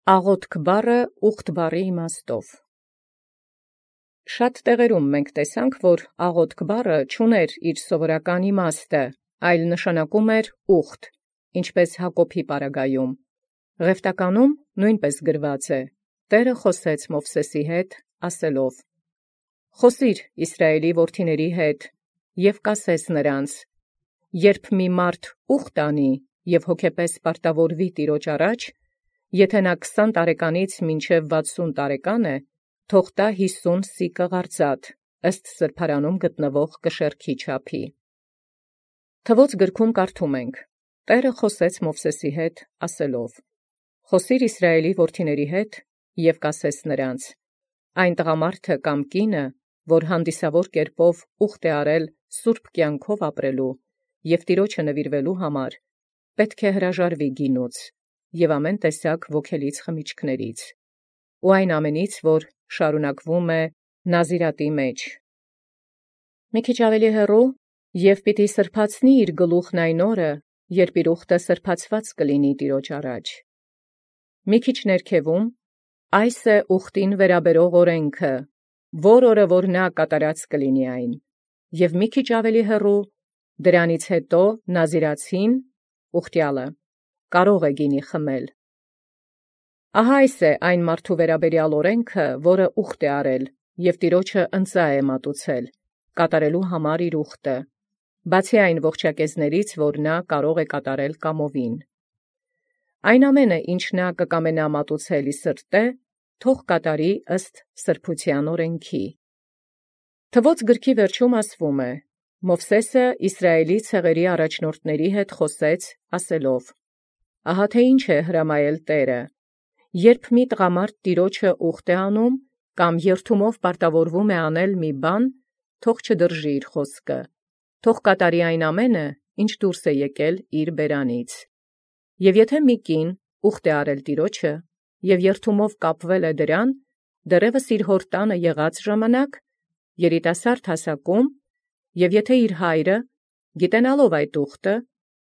Աղոթք բառը ուխտ բառի իմաստով։ Շատ տեղերում մենք տեսանք, որ աղոթք բառը չուներ իր սովորական իմաստը, այլ նշանակում էր ուխտ, ինչպես Հակոբի պարագայում։ Ղևտականում նույնպես գրված է. Տէրը խոսեց Մովսեսի հետ, ասելով. «Խոսիր Իսրայելի որդիների հետ, և կասես նրանց. երբ մի մարդ ուխտ անի և հոգեպես պարտավորվի Տիրոջ առաջ, եթե նա 20 տարեկանից մինչև 60 տարեկան է, թող տա 50 սիկլ արծաթ, ըստ սրբարանում գտնվող կշեռքի չափի»։ Թվոց գրքում կարդում ենք. Տէրը խոսեց Մովսեսի հետ, ասելով. «Խոսիր Իսրայելի որդիների հետ, և կասես նրանց. այն տղամարդը կամ կինը, որ հանդիսավոր կերպով ուխտ է արել սուրբ կյանքով ապրելու և Տիրոջը նվիրվելու համար, պետք է հրաժարվի գինուց և ամեն տեսակ ոգելից խմիչքներից ու այն ամենից, որ շարունակվում է նազիրատի մեջ։ Մի քիչ ավելի հեռու, և պիտի սրբացնի իր գլուխն այն օրը, երբ իր ուխտը սրբացված կլինի Տիրոջ առաջ։ Մի քիչ ներքևում, այս է ուխտին վերաբերող օրենքը, որ օրը որ նա կատարած կլինի այն, և մի քիչ ավելի հեռու, դրանից հետո նազիրացին, ուխտյալը, կարող է գինի խմել։ Ահա այս է այն մարդու վերաբերյալ օրենքը, որը ուխտ է արել և Տիրոջը ընծայ է մատուցել, կատարելու համար իր ուխտը, բացի այն ողջակեզներից, որ նա կարող է կատարել կամովին։ Այն ամենը, ինչ նա կկամենա մատուցել ի սրտե, թող կատարի ըստ սրբության օրենքի։ Թվոց գրքի վերջում ասվում է. Մովսեսը Իսրայելի ցեղերի առաջնորդների հետ խոսեց, ասելով. «Ահա թե ինչ է հրամայել Տէրը. երբ մի տղամարդ Տիրոջը ուխտ է անում, կամ երդումով պարտավորվում է անել մի բան, թող չդրժի իր խոսքը, թող կատարի այն ամենը, ինչ դուրս է եկել իր բերանից։ Եւ եթե մի կին ուխտ է արել Տիրոջը, եւ երդումով կապվել է դրան, դեռևս իր հոր տանը եղած ժամանակ, երիտասարդ հասակում, եւ եթե իր հայրը, գիտենալով այդ ուխտը,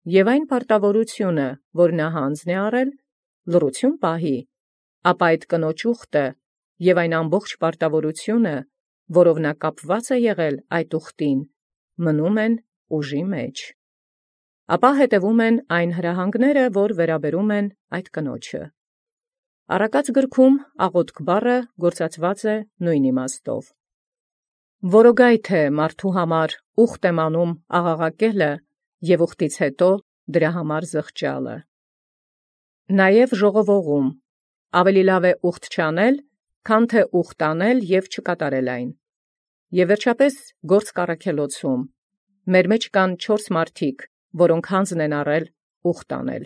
եւ այն պարտավորությունը, որ նա հանձն է առել, լռություն պահի, ապա այդ կնոջ ուխտը եւ այն ամբողջ պարտավորությունը, որով նա կապված է եղել այդ ուխտին, մնում են ուժի մեջ։ Ապա հետևում են այն հրահանգները, որ վերաբերում են այդ կնոջը։ Առակաց գրքում աղոթք բառը գործածված է նույն իմաստով։ Որոգայթ է մարդու համար ուխտ եմ անում աղաղակելը և ուխտից հետո դրա համար զղջալը։ Նաև ժողովողում ավելի լավ է ուխտ չանել, քան թե ուխտ անել և չկատարել այն։ Եվ վերջապես գործ կառաքելոցում մեր մեջ կան 4 մարդիկ, որոնք հանձն են առել ուխտ անել։